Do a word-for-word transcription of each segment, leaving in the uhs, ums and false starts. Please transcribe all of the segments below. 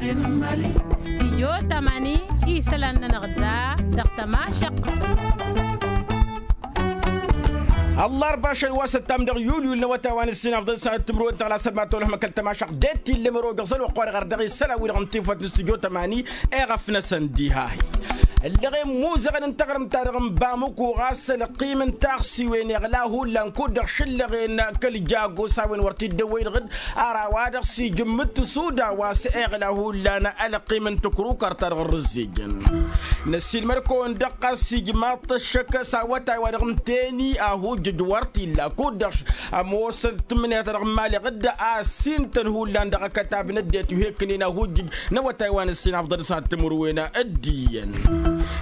Stijyo tamani isălan-nănăɣ da dăɣ-tămašăq. Ăllarba ašăl wa s-ăttam dăɣ-yulyul n-awătay wa n-ǝssin afḍăl sănat timǝrwen tăɣlasăt ma tolăh măkăl tămašăq d-e-t-illa măro dăɣ-zăl wa ăqqoarăɣ ar dăɣ-isălan-wi-dăɣ n-tifawt n-stijyo tamani. Eɣăf-năsăn diha-hi ǝllăɣen muzăɣăn n-taɣrǝmt-ta-dăɣ n-bamǝku ɣas ălqim n-taɣsiwen iɣla hullan kud-dăɣ šǝllăɣen kăl-jagos a-wen wăr t-dd-ăwwăy-dăɣ-dd. Ar a-wa-dăɣ s-ijǝmmǝt tăsuda wa s-iɣla hullan ălqim n-tǝkrukărt-ta-dăɣ ărrǝzzejăn. Năssiilmăd-kăwăn-dăɣ ɣas ijmaḍ-t ăššăk s-awătay-wa-dăɣ n-teni ahujjǝj wăr t-illa kud-dăɣ ămoosăn tǝmmǝnǝya-ta-dăɣ n-imaleɣ-dd a ăssintăn hullan dăɣ-akătab n-ăddinăt wi hekkǝnen ahujjǝj n-awătay wa n-ǝssin afḍăl s-ad-timǝrwen d-iyyăn.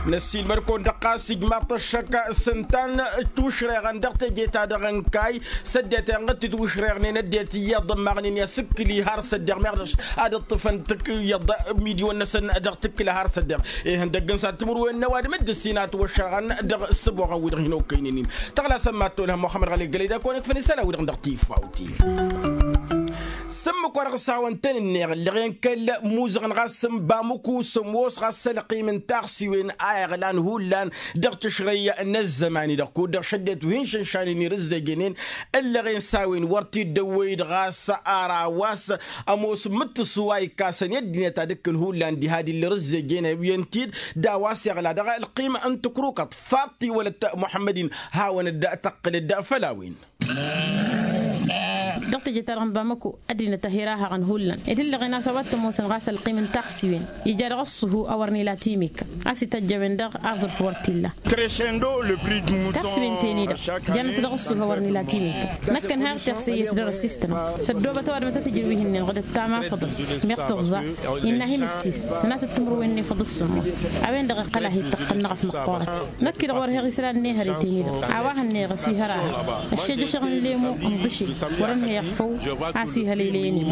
Năssiilmăd-kăwăn dăɣ-ɣas ijmaḍ-t ăššăk s-ǝnta n-tiwǝšreɣăn dăɣ-teje-ta-dăɣ n-kayy s-ăddinăt enɣǝd titwǝšreɣnen ăddinăt iyyăḍ ămmaɣnen i-asǝkkǝli har s-ăddeɣ meɣ dăɣ-s ad-ǝṭṭǝfăn tǝkk iyyăḍ. Midiwăn-năsăn dăɣ-tǝkkǝla har s-ăddeɣ ihăndăgg n-s ad-timǝrwen n-ăwadǝm d-ǝssin a ătwăššărɣăn dăɣ-ǝssǝboɣăn-wi-dăɣ hin-okăynen-in. Tăɣlasăn mad-tolhăm muxămmăd ɣăli gălăy d-ad-kăwăn-ǝkfăn isălan-wi-dăɣ dăɣ-tifawt-i. S-ǝmmǝk-wa-dăɣ s-hawăn-tăn-ǝnneɣ ǝllăɣen kăl-muzăɣăn ɣas n-bamǝku s-ămoos ɣas ălqim n-taɣsiwen a iɣlan hullan dăɣ-tǝšrăy n-ăzzăman-i-dăɣ kud-dăɣ šăddinăt wi hin-šănšannen irǝzzejănen. Ǝllăɣen s-a-wen wăr t-dd-ăwwăy-dd ɣas ara wa s-ămoos ǝmmǝttǝsu a ikkasăn i-ăddinăt ad-ǝkkǝn hullan diha d-illa irǝzzejăn a iyyăn-t-dd d-a-wa s-iɣla dăɣ-ălqim n-tǝkrukăḍt faḍt-i wălăt muḥămmăd-in. Hawăn-dd tăqqǝl-dd făll-a-wen. Dăɣ-teje-ta-dăɣ n-bamăko ăddinăt a hi-rahăɣăn hullan ed ǝllăɣen a-s a-wa t-ămoosăn ɣas ălqim n-taɣsiwen ija dăɣ-ăṣṣuhu a wăr n-ila timikka a-s ităjj a-wen-dăɣ aẓrǝf wăr t-illa. Taɣsiwen-ten-i-dăɣ janăt dăɣ-ăṣṣuhu a wăr n-ila timikka. Năkkăn har tiɣsăyyăt dăr-ăssistănăm s-ăddoobăt ăwadǝm ad-t-tǝjrǝw ihǝnnin ɣǝdăt tamafăḍăn meɣ tǝẓẓa innă a hin-ǝssis sănatăt timǝrwen n-efăḍ s-sǝmmos. A-wen-dăɣ iqqăl a hi-tăqqăn n-aɣăf măqqoorăt. Năkk-i-dăɣ wăr heɣ isălan n-ehăre-ten-i-dăɣ a-wa hănnăyăɣ ăsihăr-ahăɣ ăššejăšăɣ n-lemo ǝnḍǝšel wăr-ănhăyăɣ făw. A-s ihălăylăyăn-in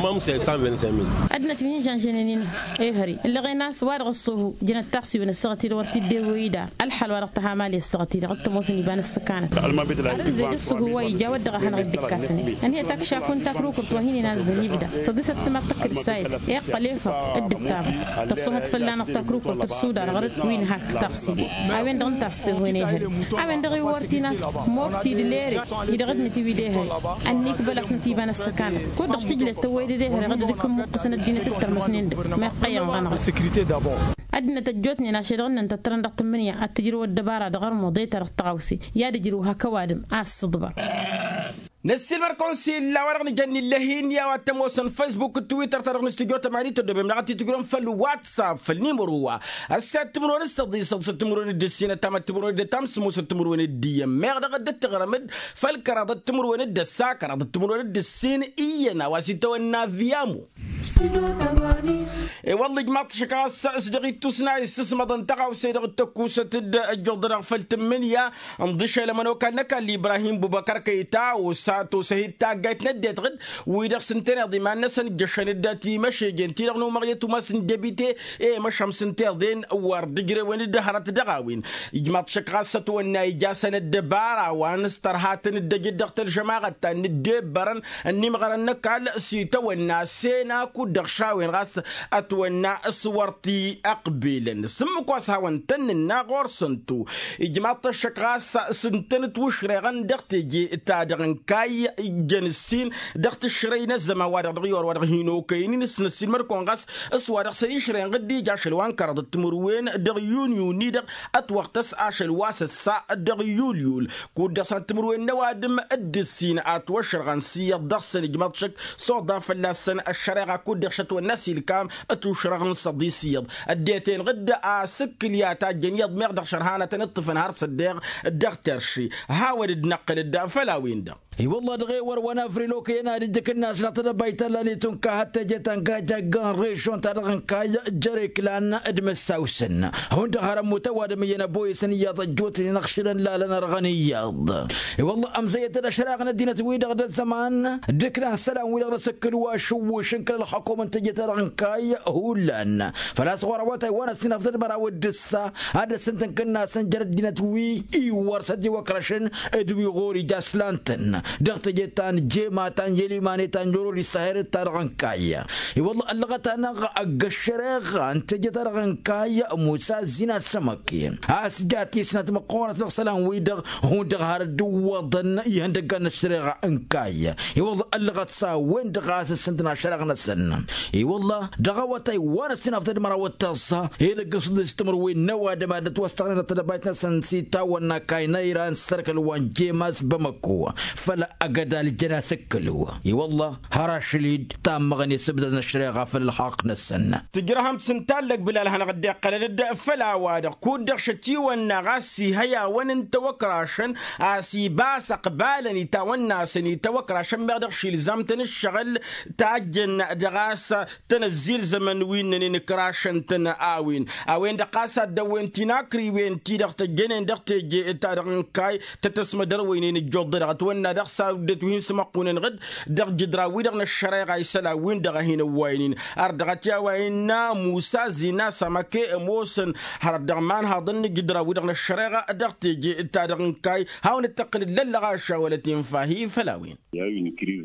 ăddinăt wi hin-žănžănen-in ehăre ǝllăɣen a-s wa dăɣ-ăṣṣuhu jănăt taɣsiwen ăssaɣăt-i-dăɣ wăr t-dd-ewăy-dd alxal wa dăɣ-tăhamali ăssaɣăt-i-dăɣ t-ămoosăn iba n-ăssăkanăt. Arăzzej ăṣṣuhu wa ija wăr dăɣ-a hanăɣ-dd-ǝkkasăn ănhăyăt akšaku n-takrukurt wa hin-inazzăn ibda săḍisăt tămaḍt tăkk d-ǝssayăt iqqăl efăḍ dd-ǝttamăt tăṣṣuhăt fălla-năɣ takrukurt ăssuda dăɣ-rǝd wi n-hakk taɣsiwen. A-wen-dăɣ ǝnta a ăssewhen ehăre a-wen-dăɣ iwwăr tinas mokt-i d-lere-i dăɣ-ăddinăt-i wi d-ehăre. Ănnikbăl-asnăt iba n-ăssăkanăt kud-dăɣ s-tǝjlet tăwwăy-dd ehăre ɣǝd ad-ǝkkǝn imuqqǝsăn ăddinăt d-tărmăsnen-dăɣ meqqăyăn ɣănăɣ. Ăddinăt ăjjootnen ašăl-dăɣ ǝnnăn tăttărăn dăɣ-tǝmmǝnǝya ad-t-ǝjrǝw ăddăbara dăɣ-ărmuḍe-ta-dăɣ tăɣawse i-ad-ǝjrǝw hak ăwadǝm a ăssǝḍbăr. Năssiilmăr-kăwăn s-illa a-wa dăɣ-nǝjănn illăh-in i-a-wa t-ămoosăn faysbuk d-twitter-ta-dăɣ n-studyo tămani tăddobem-năɣ ad-t-tǝjrǝwăm făll-whatsapp făll-nimăro wa. Ăssiyăt timǝrwen d-săḍisăḍ s-timǝrwen d-ǝssin ăttam d-timǝrwen d-ǝttam s-ămoosăt timǝrwen d-iyyăn meɣ dăɣ-dd-tǝɣrăm-dd făll-kăraḍăt timǝrwen d-ăssa kăraḍăt timǝrwen d-ǝssin iyyăn a-wa s-itawănna viyamu. E-wălla ijmaḍ-t šăkk ɣas s-dăɣ-ittus n-a issǝsmăḍăn tăɣawse-dăɣ d-tăkkusăt d-ăjjuḍănăɣ făll-tǝmmǝnǝya. Ǝnḍǝšel ămănokal n-ăkall ibrahim bubăkăr kăyta osa tosăhit taggayt n-ăddinăt ɣǝd wi-dăɣ s-ǝntăneḍ iman-năsăn ǝjjăšăn-dd timăšejen-ti-dăɣ n-umăɣyăt umas n-debite. I-măšhăm s-ǝnta iḍen wăr dd-ǝjrewăn-dd hărăt dăɣ-a-wen. Ijmaḍ-t šăkk ɣas ătwănna ija a-s ănăddăbara wa n-s tărha tăn-dd-ăj dd-dăɣ-tălžămaɣăt ta n-dd-ebbărăn ănnimɣărăn n-ăkall s-itawănna sena kud-dăɣ šawen ɣas ătwănna s-wăr t-ăqbilăn s-ǝmmǝk wa s-hawăn-tăn-nǝnna ɣur-săn-tu. Ijmaḍ-t ăššăk ɣas s-ǝntănăt wǝšreɣăn dăɣ-teje-ta-dăɣ n-kayy jăn ǝssin dăɣ-tǝšrăy n-ăzzăman-wa-dăɣ dăɣ-i orwa-dăɣ hin-okăyăn-in s-năssiilmăd-kăwăn ɣas s-wa dăɣ-săn išrăyăn ɣǝd ija ašăl wa n-kăraḍăt timǝrwen dăɣ-yunyu-ni-dăɣ ătwăɣtăs ašăl wa s-ăssa dăɣ-yulyul. Kud-dăɣ s-ad-timǝrwen n-ăwadǝm d-ǝssin atwăšrăɣăn s-iyyăḍ dăɣ-săn ijmăḍ šăkk s-oḍan fălla-săn ăššăreɣa kud-dăɣ šătwănna s-ilkam. Ătušrăɣăn s-ăḍis iyyăḍ ăddinăt-en ɣǝd asǝkkǝl i-ad-tajjăn iyyăḍ meɣ dăɣ-šărhanătăn ǝṭṭǝfăn har s-ăddeɣ dăɣ-terši. Hawăn-dd-năqqǝl-dd făll-a-wen-dăɣ. I-wălla dăɣ-ewăr wa n-afril okăyăn ad-ǝjǝk ǝnnas dăɣ-tedăbayt ta n-lanit unka hăt teje ta n-kajjagg n-režon ta dăɣ-n kayy jăr-iklan d-imǝssawsăn. Hundăɣ har ămmut ăwadǝm iyyăn ăboyăsăn iyyăḍ ăjjootnen ăɣšǝlăn lalăn ărɣăn iyyăḍ. I-wălla ămzăyyăt d-ašraɣ n-ăddinăt-wi-dăɣ d-ăzzăman d-iklan isălan-wi-dăɣ n-asǝkkǝl wa ašǝwwǝš n-kăl-ălxukum n-teje ta dăɣ-n kayy hullan. Făl-a-s ɣur-awătay wa n-ăssinafḍăd măraw d-ǝssa ad-ăssintǝnkǝnna-săn jer-ăddinăt wi iwwăr s-ăddiwăkrăšăn d-wi ɣur-ija ăslan-tăn. dăɣ-teje ta n-jema ta n-yelimanet ta n-jorolis ta herăt-ta-dăɣ n-kayy. I-wălla ăllăɣăt-anăɣ ăgg-ăššăreɣa n-teje-ta-dăɣ n-kayy musa ăzzin ad-sămăken a-s ja tisnat măqqoorăt dăɣ-isălan-wi-dăɣ hundăɣ har dd-ǝwwăḍăn ihăndăggan n-ăššăreɣa n-kayy. I-wălla ăllăɣăt s-a-wen-dăɣ a-s ǝssǝntăn aššăreɣ-năsăn. I-wălla dăɣ-awătay wa n-ăssinafḍăd măraw d-tăẓẓa edăgg n-sǝḍis timǝrwen n-ăwadǝm ad-dd-ătwăstăɣnen d-tedăbayt-năsăn s-itawănna kayy n-ayra n-sărkăl wa n-jema s-bamăko făll-agădal jăn asǝkkǝlǝw. I-wălla har ašăl-dd tammăɣne s-ǝbdăd n-ăššăreɣa făll-ălxaqq-năsăn. Tǝjrăhăm-t s-ǝnta ăllăg bǝlal hanăɣ-dd-iqqălăn-dd făll-a-wa-dăɣ kud-dăɣ šătiwănna ɣas ihăy a-wăn n-tawăkrašăn a-s ibas ăqbalăn itawănna-săn itawăkrašăn meɣ dăɣ-š ilzam-tăn ǝššăɣǝl tajjăn dăɣ-a-s tăn-ăzzilzămăn wi ǝnnănen ǝkrašăn-tăn a-wen a-wen-dăɣ ɣas ad-dăwwen tinakriwen-ti-dăɣ tăjjănen dăɣ-teje-ta-dăɣ n-kayy tăt-ăsmădărwăynen ǝjjuḍ-dăɣ ătwănna dăɣ-s a dd-ătwǝhin s-măqqunăn ɣǝd dăɣ-jǝdra-wi-dăɣ n-ăššăreɣa isălan-win-dăɣ a hin-ăwwaynen. Ar dăɣ-t i-a-wa innă musa zina s-amăke ămoosăn hărăt dăɣ-imanhaḍăn n-jǝdra-wi-dăɣ n-ăššăreɣa dăɣ-teje-ta-dăɣ n-kayy hawăn-dd-tăqqǝlăd lăllăɣaša wăla tinfah-i făll-a-wen.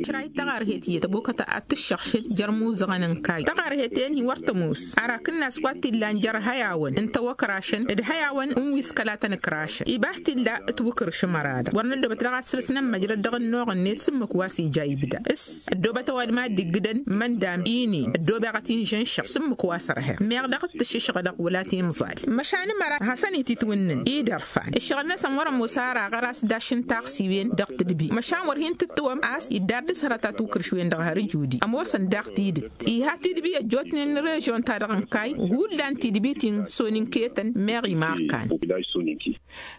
Kărayd taɣarhet iyyăt ăbokăt ad-tǝššăɣšǝl jer-imuzăɣăn n-kayy taɣarhet-en-hi wăr tămoos. Arak ǝnnas wa t-illan jer-ihăyawăn n-tawăkrašăn d-ihăyawăn n-wi s-kăla tăn-ǝkrašăn ibas t-illa ǝtwǝkrǝš ămăra-dăɣ wăr năddobăt daɣ ad-săr-s nămmăjrăd dăɣ-ănnuɣ-net s-ǝmmǝk wa s-ija ibda s-ăddobăt ăwadǝm a dd-iggǝdăn măndam inin ăddobeɣ ad-t-inžănšăɣ s-ǝmmǝk wa s-ărheɣ meɣ dăɣ-t tǝššǝšɣădăɣ wăla t-imẓal. Măšan ămăra hasăn-ititwǝnnǝn idărfan ǝššăɣǝl-năsăn wăr-ămoos ara ɣăr-as dašǝn taɣsiwen dăɣ-tǝdbi măšan wăr hin-tǝttǝwăm a-s iddar dăɣ-s hărăt atukǝrš-wen-dăɣ har ǝjudi ămoosăn daɣ tidǝt iha tidbi ăjjootnen n-režion-ta-dăɣ n-kayy hullan tidbi ti n-soninketăn meɣ imarkan.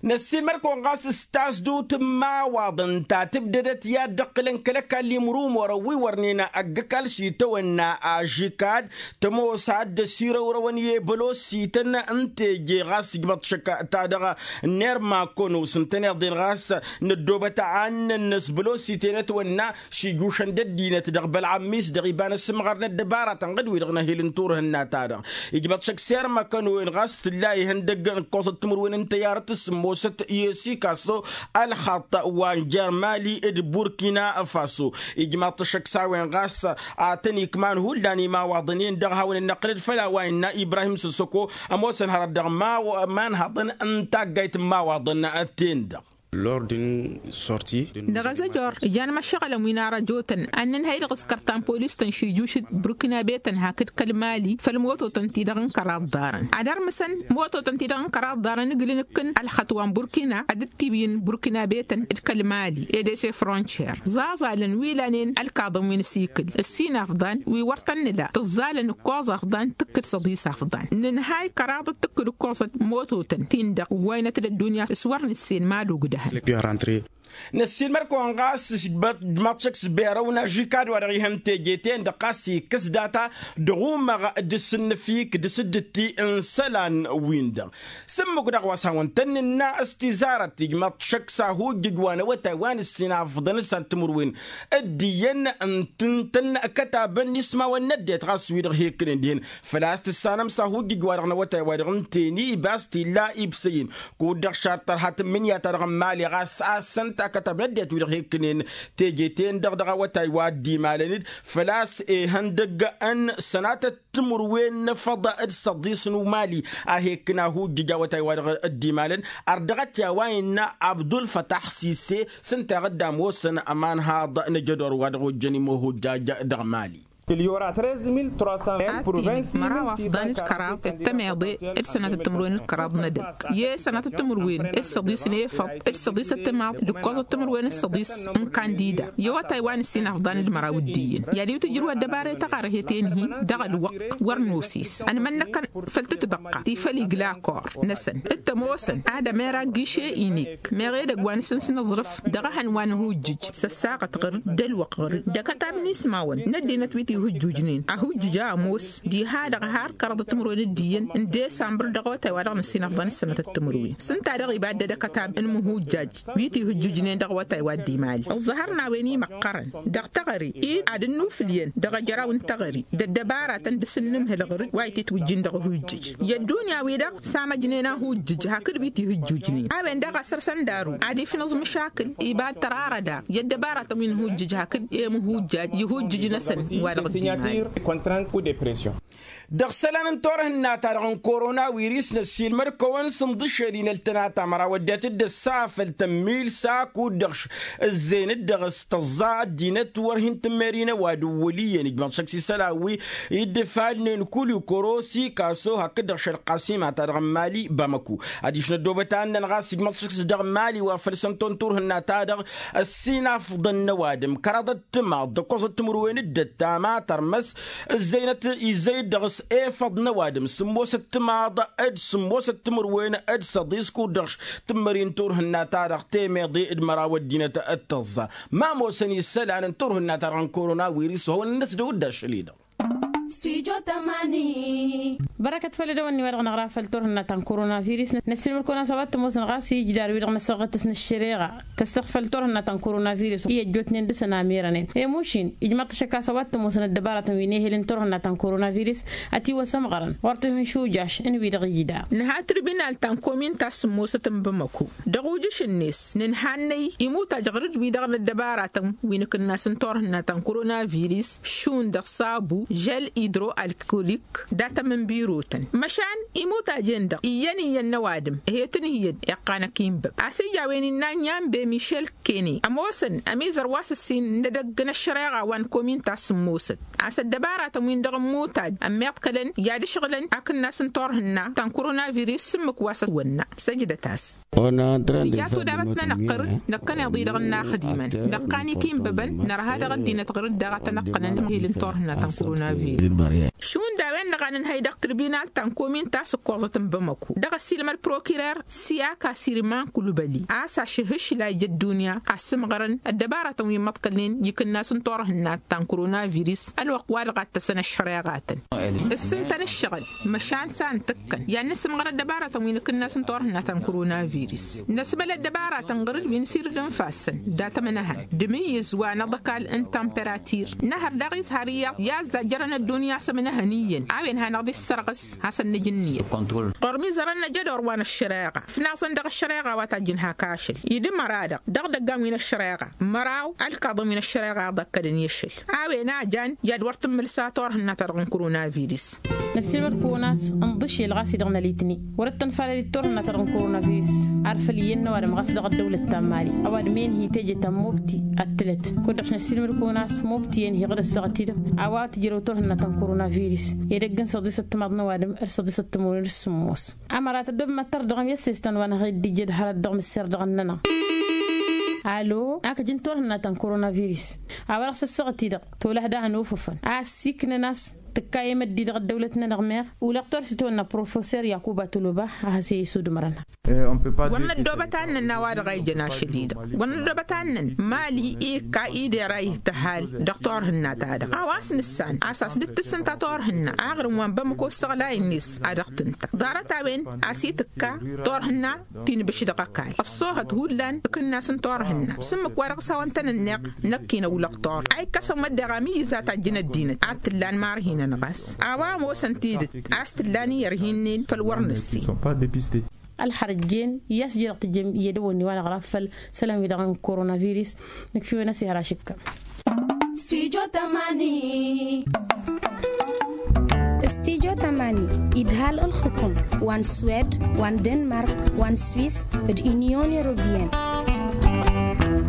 Năssiilmăd-kăwăn ɣas s-tasdut n-imawaḍăn ta tǝbdădăt i-ad-dd-ǝqqǝlăn kăl-ăkall imrumorăn wi wărnen ăgg-ăkall s-itawănna ažikad tămoos ad-dd-ăsirăwrăwăn i-ebălosităn n-teje ɣas ǝjmăḍ šăkk ta dăɣ-nerma kăwăn-osǝntăn iḍen ɣas năddobăt a ǝnnăn n-ăsbălositen ătwănna šijušăn d-ăddinăt dăɣ-bălɣămmis dăɣ-iba n-asǝmɣăr n-ăddăbaratăn ɣǝd-wi-dăɣ n-ehil n-turhǝnna-ta-dăɣ. Ijbăḍ šăkk serma kănowen ɣas tǝlla ihăndăg n-ǝkkoẓăt timǝrwen n-tăyyarăt s-ǝmmosăt i-ăsikasăw ălxaṭṭ wa n-jer mali d-burkina faso. Ijmaḍ-t šăkk s-a-wen ɣas a tăn-ikman hullan imawaḍăn-en-dăɣ hawăn-dd-năqqǝlăd făll-a-wa innă ibrahim săssăko ămoosăn hărăt dăɣ-imanhăḍăn n-taggayt n-imawaḍăn-ten-dăɣ. Lor din sorti. Dăɣ-azăjor ijan măššăɣǝlăn wi n-arăjotăn ad-nǝnhăy dăɣ-s kărtan polis-tăn šijjušǝt burkinabetăn hakd kăl-mali făll-mototăn-ti-dăɣ n-kăraḍ ḍarăn ad-ărmǝsăn mototăn-ti-dăɣ n-kăraḍ ḍarăn ǝglǝn ǝkkǝn ălxăṭṭ wa n-burkina ad-dd-tiwǝyǝn burkinabetăn d-kăl-mali edese frontier ẓaẓalăn wi lanen ălkaḍăn wi n-asikǝl ǝssin afḍan wi wăr tăn-nǝla tǝẓẓalăn ǝkkoẓ afḍan tǝkkǝd săḍis afḍan nǝnhay kăraḍăt tǝkkǝd ǝkkoẓăt mototăn-tin-dăɣ ǝwwaynăt d-ăddunya s-wăr nǝssen ma d-ogdăhăn. Năssiilmăd-kăwăn ɣas ǝžmaḍ-t šăkk s-berăw n-ažikad wa dăɣ-ihăn teje-ten-dăɣ ɣas ikkăs data dăɣ-umăɣ d-asǝnnǝfik d-asǝddǝtti n-isălan-win-dăɣ. S-ǝmmǝk-dăɣ wa s-hawăn-tăn-nǝnna s-tizarăt ijmaḍ-t šăkk s-ahujjǝj wa n-awătay wa n-ǝssin afḍăn s-ad-timǝrwen d-iyyăn ǝntǝntăn kătabăn ismawăn n-ăddinăt ɣas wi-dăɣ hekkǝnen dihen făl-a-s tǝssanăm s-ahujjǝj-wa-dăɣ n-awătay-wa-dăɣ ǝnta-en-i ibas t-illa ibsăyăn kud-dăɣ šar tărha tǝmmǝnǝya-ta-dăɣ n-imali ɣas a-s ǝnta akătab n-ăddinăt wi-dăɣ hekkǝnen teje-ten-dăɣ dăɣ-awătay wa dd-imalăn-dd făl-a-s ihăndăg n-sănatăt timǝrwen n-efăḍ d-săḍis n-umali a hekkǝn ahujjǝj awătay-wa-dăɣ dd-imalăn. Ărdăɣăt i-a-wa innă abdulfătax sise s-ǝnta i-dăɣ dd-ămoosăn ămanhaḍ n-ajădor wa dăɣ-ojjăn imohojjaj dăɣ-mali. Ad-t-dd-măraw afḍan d-kăraḍ d-tămeḍe d-sănatăt timǝrwen d-kăraḍ n-edăgg i-sănatăt timǝrwen d-săḍis n-efăḍ d-săḍis ăttămaḍ d-ǝkkoẓăt timǝrwen d-săḍis n-kandida i-awătay wa n-ǝssin afḍan d-măraw d-iyyăn i-ad-iwǝt ǝjrǝw ăddăbara i-taɣarhet-en-hi dăɣ-ălwăqq wăr nosis ănmănnăkăn făll-tǝtbăqqa ti făll-igla akor-năsăn d-tămoosăn ad-ămera giše inik meɣ edăgg wa n-asǝnsǝn aẓrǝf dăɣ-ehăn wa n-ahujjǝj s-ăssaɣăt ɣǝr-dd d-ălwăqq ɣǝr-dd d-akătab n-ismawăn n-ăddinăt wi Hǝjjujnen ahujjǝj a ămoos diha-dăɣ har kăraḍăt timǝrwen d-iyyăn n-desambăr dăɣ-awătay wa dăɣ-năssinăfḍăn s-sănătăt timǝrwen s-ǝnta-dăɣ ibadăd ăkătab n-imǝhujjaj wi tihǝjjujnen dăɣ-awătay wa dd-imali ǝẓẓăhăr n-a-wen imăqqărăn dăɣ-teɣăre-i ad-ănnufǝl iyyăn dăɣ-ejăraw n-teɣăre d-ăddăbaratăn dăɣ-s ǝnnǝmhǝl ɣǝr-dd wa ititwǝjjin dăɣ-ahujjǝj. I-ăddunya-wi-dăɣ samăjnen ahujjǝj hakd wi tihǝjjujnen a-wen daɣ a săr-săn daru ad-ifnǝẓ măšakǝl ibad tărarăda i-ăddăbaratăn wi n-hujjǝj hakd i-imǝhujjaj i-hujjǝj-năsăn wa dăɣ-dd-imali. Dăɣ-isălan n-turhǝnna-ta-dăɣ n-korona wiris năssiilmăd-kăwăn s-inḍǝšel inăltăna ta măraw ăddinăt dd-ăssafăl tămmil s-akud-dăɣ ǝzzeyăn-dd dăɣ-s tăẓẓa ăddinăt wăr hin-tǝmmer-in ăwadǝm wăl' iyyăn ijmăḍ šăkk s-isălan wi iddǝfalnen kul ikorosi kaso hakd-dăɣ šălqasima-ta-dăɣ n-mali bamăku. Adiš n-ăddoobăt a ǝnnăn ɣas ijmăḍ šăkk s-dăɣ n-mali wa făl săn tonturhǝnna-ta-dăɣ ăssinafḍăn n-ăwadǝm kăraḍăt timaḍ d-ăkkoẓăt timǝrwen d-ăttam a tărmăs ǝzzăynăt izzăy-dd dăɣ-s efăḍ n-ăwadǝm sǝmmosăt timaḍ d-sǝmmosăt timǝrwen d-săḍis kud-dăɣ tǝmmări n-turhǝnna-ta-dăɣ temeḍe d-măraw ăddinăt d-tăẓẓa. Ma ămoosăn isălan n-turhǝnna-ta-dăɣ n-korona wiris wa hawăn-năsdăw-dd ašăl-i-dăɣ. Bărăkăt făll-edăwănni wa dăɣ-năɣra făll-turhǝnna ta n-korona virus. Năssiilmăd-kăwăn a-s a-wa t-ămoosăn ɣas i-ijdar-wi-dăɣ n-asăɣɣăt s-năššăreɣa tăsseɣ făll-turhǝnna ta n-korona virus i-ăjjootnen dăɣ-săn amirănen i-mušin ijmăḍ-t ašăk a-s a-wa t-ămoosăn ăddăbaratăn wi n-ehel n-turhǝnna ta n-korona virus. Ătiwăsămɣărăn ɣur-tihǝnšujaš n-wi-dăɣ ijda. Nǝha tribinal ta n-komin ta s-sǝmmosăt n-bamăko dăɣ-ujǝš-net nǝnhannăy imutaj ɣur-dd wi-dăɣ n-ăddăbaratăn wi n-akǝnnas n-turhǝnna ta n-korona virus šund dăɣ-sabu žel idro-alkolik datăm n-birotăn măšan imutajen-dăɣ iyyăn iyyăn n-ăwadǝm ăhetăn iyyăn iqqan ăkinbăb a-s ija a-wen innă n-ianbe mišel kene ămoosăn ămizăr wa s-ǝssin n-edăgg n-ăššăreɣa wa n-komin ta s-sǝmmosăt a-s ăddăbaratăn-win-dăɣ n-imutaj ămmiḍkălăn i-ad-ǝšɣǝlăn akǝnnas n-turhǝnna ta n-korona virus s-ǝmmǝk wa s-ătwănna. Săjdăt-as. Ija tudabt-nănăɣ ɣur-dd năkkăneḍ-i-dăɣ n-inaxdimăn năqqan-ik inbăbăn nărha dăɣ-ăddinăt ɣur-dd daɣ a tăn-ăqqănăn ihil n-turhǝnna ta n-korona virus. Šund a-wen-dăɣ a nǝnhăy dăɣ-tribinal ta n-komin ta s-ǝkkoẓăt n-bamăko dăɣ-ăssiilmăd prokirer siyaka siriman kulbăli a-s ašăhǝšlay ija ăddunya a ăssǝmɣărăn ăddăbaratăn wi n-imăḍkălnen i-ikǝnnas n-turhǝnna ta n-korona virus ălwăqq wa dăɣ-ad-tăsăn ăššăreɣatăn ǝssǝntăn ǝššăɣǝl măšan s-a n-tǝkkăn i-ad-nǝsǝmɣăr ăddăbaratăn wi n-akǝnnas n-turhǝnna ta n-korona virus năsmăl ăddăbaratăn ɣur-dd wi n-sirǝd n-ifassăn dat-ămănăhăn d-imǝyyǝz wa n-aḍăkal n-tamperatir năhăr daɣ ishar iyyăḍ i-azzajjărăn ăddunya a-s ămănăhăn iyyăn a-wen hanăɣ-dd-issărɣǝs hasăn-nǝj ǝnniyăt ɣur-mizărăn năj ădor wa n-ăššăreɣa ǝfnaẓăn dăɣ-ăššăreɣa wa tajjǝn hak ašăl idǝmăra-dăɣ dăɣ-idăggan wi n-ăššăreɣa măraw ălkaḍăn wi n-ăššăreɣa iḍăkkădăn i-ašăl a-wen a jan i-ad-wăr tǝmmǝlsa turhǝnna-ta-dăɣ n-korona virus. Năssiilmăd-kăwăn a-s ǝnḍǝšel ɣas-i-dăɣ n-alitni wăr-dd-tănfalăl d-turhǝnna-ta-dăɣ n-korona virus arfăl iyyăn n-ăwadǝm ɣas dăɣ-ăddăwlăt ta n-mali ăwadǝm enhi teje ta n-mobti ăttǝlăt kud-dăɣ-š năssiilmăd-kăwăn a-s mobti enhi ɣǝd ăssaɣăt-i-dăɣ a-wa tǝjrăw turhǝnna ta n-korona virus edăgg n-săḍisăt timaḍ n-ăwadǝm d-săḍisăt timǝrwen d-sǝmmos. Ămăra tăddob măttăr dăɣ-miyăssestăn wa n-aɣ-dd-ijjăd hărăt dăɣ-mǝsser dăɣ-ănnănăɣ. Alo, a kăjǝn turhǝnna ta n-korona virus a-wa dăɣ-s ăssaɣăt-i-dăɣ tolăh daɣ ănufǝfăn a ăssiiknăn a-s tǝkka i-măddi dăɣ-ăddăwlăt-nănăɣ meɣ ulăɣ torsi tawănna professor yakuba toloba a has-e-isudǝmrăn. Wăr năddoobăt ad-nănn a-wa-dăɣ a ijăn ašăl-i-dăɣ wăr năddoobăt ad-nănn mali ikka idera ih-tăhal dăɣ-turhǝnna-ta-dăɣ a-wa s-nǝssan a-s a-s dd-tǝssǝnta turhǝnna aɣrǝm wa n-bamăko ǝssăɣlay-net a dăɣ-tǝnta ḍarăt a-wen a-s itǝkka turhǝnna ti n-ibǝš dăɣ-ăkall ăṣṣoohăt hullan ǝkǝnnas n-turhǝnna s-ǝmmǝk wa dăɣ-s hawăn-tăn-ǝnneɣ năkk-in ăwlăɣ turhǝnna a ikkăsăn măddeɣ amǝyyǝz a tajjǝn ăddinăt ad-t-ǝllan marhinăn ɣas a-wa ămoosăn tidǝt a-s t-ǝllan i-ărhinnen făll-wăr nǝssin. Ălxărăjjen i-a-s ija dăɣ-tǝjjem i-edăwănni wa n-aɣrab făll-isălan-wi dăɣ-n korona virus. Nǝkf'-iwen a-s ihăr ašǝkka. Stijo tămani idhal ǝlxǝkum wa n-swed wa n-denmark wa n-swis d-inyon europeyăn.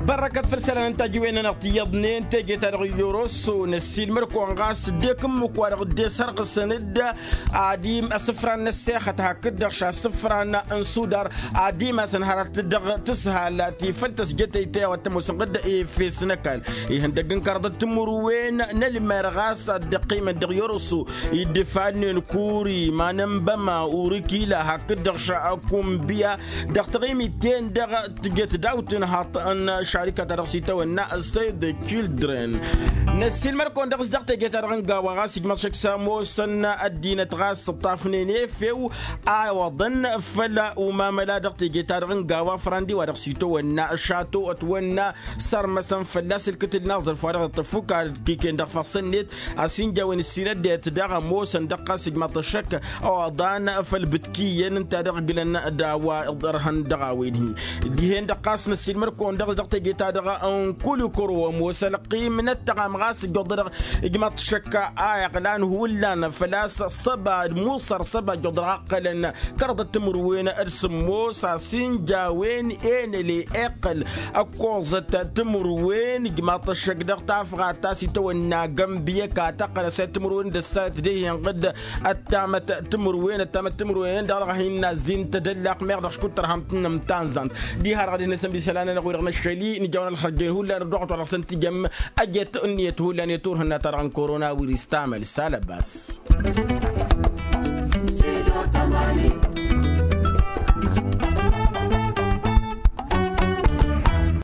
Bărrăkăt făll-isălan n-tajiwen-nănăɣ ti iyyăḍnen teje-ta-dăɣ i-oroso năssiilmăd-kăwăn ɣas dd-ekǝmmǝk wa dăɣ-dd-esărɣǝsăn-dd adim asǝfran n-ăssexăt hakd-dăɣ šasǝfran n-sudar ad-imasăn hărăt dăɣ-tǝshal ti făll-tăsj tăytăy a-wa t-ămoosăn ɣǝdda efes n-ăkall ihăndăgg n-kărăḍăt timǝrwen n-ălmer ɣas ad-dd-ăqqimăn dăɣ-i-orăsu iddǝfalnen kuri iman n-băma urǝkila hakd-dăɣ šakumbǝya dăɣ-taɣimit-ten-dăɣ tǝjăt daw-tǝnhaḍt n-ašăl. šarika-ta-dăɣ s-itawănna save the children. Năssiilmăr-kăwăn dăɣ-s dăɣ-teje-ta-dăɣ n-gawa ɣas ijmaḍ šăkk s-ămoosăn ăddinăt ɣas ǝṭṭafnen efew a iwăḍăn făll-umamăla dăɣ-teje-ta-dăɣ n-gawa frandi wa dăɣ-s itawănna šato ătwănna sărmăsăn fălla-s ǝlkǝtǝl n-aẓrǝf wa dăɣ-iṭṭăf fukal kiken dăɣ-fassăn-net a-s inja a-wen ǝssinăddăyăt daɣ ămoosăn dăɣ-ɣas ijmaḍ-t ăššăk ăwaḍan făll-bǝtki iyyăn ǝnta dăɣ-ǝglăn d-a-wa ărhăn dăɣ-a-wen-hi. Dihen-dăɣ ɣas năssiilmăr-kăwăn dăɣ-s dăɣ-teje-ta-dăɣ n-kul ikăro ămoos ălqim n-ăttăɣam ɣas ǝjjuḍădăɣ ijmaḍ-t ăššăk a iɣlan hullan făl-a-s săba musăr săba ǝjjuḍădăɣ ăqqălăn kăraḍăt timǝrwen d-sǝmmos a-s inja a-wen enăle iqqăl ăkkoẓăt timǝrwen ijmaḍ-t ăššăk dăɣ-tafɣat ta s-itawănna gămbiyăk a tăqqălăs i-timǝrwen d-ăssayăt d-e-hin-ɣǝd ăttamăt timǝrwen ăttamăt timǝrwen-en-dăɣ dăɣ-hin-nazzin tădăllaq meɣ dăɣ-škud tărham-tăn n-tanzant. Diha-dăɣ ad-hin-nǝsǝmdisăl-anăn-ănăɣ-wi-dăɣ n-ašăl-i nǝjjaw n-ălxărjăyăn hullan ăddoɣăt wa dăɣ-săn tǝjăm ăjet ǝnniyăt hullan i-turhǝnna-ta-dăɣ n-korona wirǝs tamăl s-alăbas.